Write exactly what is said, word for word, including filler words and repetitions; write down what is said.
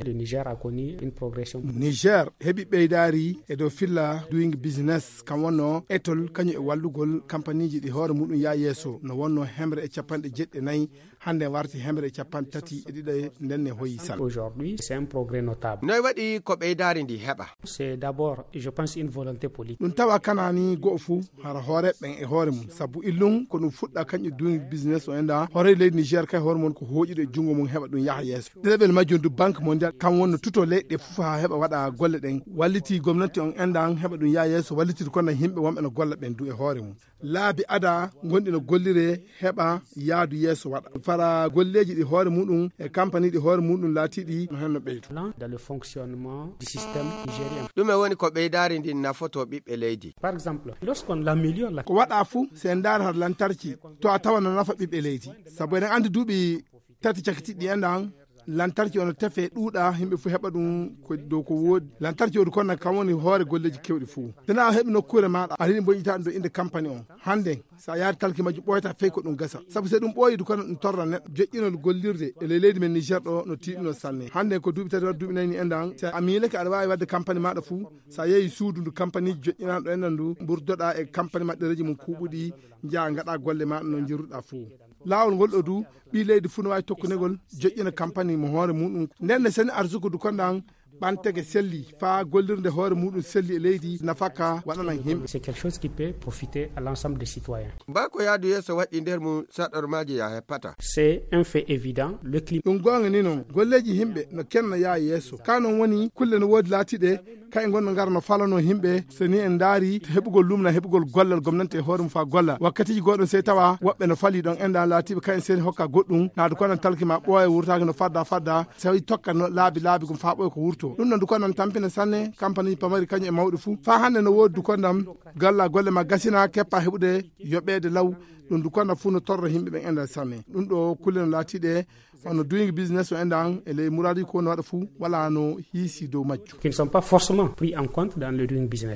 Le Niger a connu une progression. Niger heɓi ɓeydaari e dow filla doing business, kam wonno etol kañum e wallugol kampaniiji ɗi hoore muɗum yaa yeeso, no wonno hemre e capanɗe jeɗɗi e nayi, hannde warti hemre e capanɗe tati e ɗiɗo, ndenne hoyi san. Aujourd'hui c'est un progrès notable. Noy waɗi ko ɓeydaari ndi heɓa? C'est d'abord, je pense, une volonté politique. Ɗum tawa kanaani go'o fuu, hara hooreeɓe ɓen e hoore mum, sabu illum ko ɗum fuɗɗa kañum doing business o enda hoore leydi Niger kay hoore mum ko hooƴude e junngo mum heɓa ɗum yaha yeeso. Ɗeɗeɓel majjum du Banque Mondiale kam wonno tuto leyɗe fof haa heɓa waɗa golle ɗen, walliti gomnati on endan heɓa ɗum yaha yeeso, wallitide kono yimɓe wonɓe no golla ɓen du e hoore mum. Laabi ada gonɗi no gollire heɓa yaadu yeeso waɗa. Fara golleeji ɗi hoore muɗum e kampani ɗi hoore muɗum laatiɗi no henno ɓeydo. Dans le fonctionnement du système nigérien. Ɗume woni ko ɓeydaari ndin nafoto ɓiɓɓe leydi? Par exemple, lorsqu'on améliore la... Ko waɗa fuu, se en ndaara har lantarki, to a tawa no nafa ɓiɓɓe leydi. Sabu eɗen anndi duuɓi tati cakitiɗi enɗan, lantarki ono tefe ɗuuɗa, yimɓe fuu heɓa ɗum ko dow ko woodi. Lantarki o du kono kam woni hoore golleeji kewɗi fuu. Tena a heɓi nokkuure maaɗa, a riɗi mboƴƴitaade ɗo innde kampani on. Hannde, so a yaari talki majjum ɓooyata fey ko ɗum gasa. Sabu se ɗum ɓooyi du kono ɗum torra neɗɗo. Joƴƴinol gollirde e ley leydi men Niger ɗo no tiiɗuno sanne. Hannde ko duuɓi tati walla duuɓi nayi ni enɗan. So a miilake aɗa waawi waɗde kampani maaɗa fuu, so a yehi suudu ndu kampaniiji joƴƴinaaɗo enɗan ndu, mburdoɗa e kampani maɗɗereeji mum kuuɓuɗi, njaha ngaɗa golle maaɗa no njirruɗa fuu. Laawol ngol ɗo du, ɓii leydi fuu no waawi tokkunegol, joƴƴina kampani mo hoore muɗum. Nden ne seni arsuku du konɗan ɓantege selli, faa gollirde hoore muɗum selli e leydi, nafaka waɗanan yimɓe. C'est quelque chose qui peut profiter à l'ensemble des citoyens. Ba ko yaadu yeeso waɗi nder mum saɗormaaji ya heppata. C'est un fait évident, le climat. Ɗum goonga ni non, golleeji yimɓe no kenna yaa yeeso. Ka non woni kulle no woodi laatiɗe, kay ngonno ngara no falano yimɓe. So ni en ndaari heɓugol lumna, heɓugol gollal gomnante e hoore mum faa golla. Wakkatiiji goɗɗo sey tawa woɓɓe no fali ɗon enɗan laatiɓe kay en seni hokka goɗɗum, naadu kono talki ma ɓooya wurtaaki no fadda fadda, sey tokka no laabi laabi gum faa ɓooya ko wurto. Ɗum ɗon du kono tampina sanne, kampani pamari kañum e mawɗi fuu. Faa hannde no woodi du kono ɗam galla golle ma gasina keppa heɓude yoɓeede law. Ɗum du kono fuu no torra yimɓe ɓen enɗan sanne. Ɗum ɗo kulle no laatiɗe hono doing business o enɗan e ley muraadi ko no waɗa fuu wala no hiisi dow majju. Qui ne sont pas forcément pris en compte dans le doing business.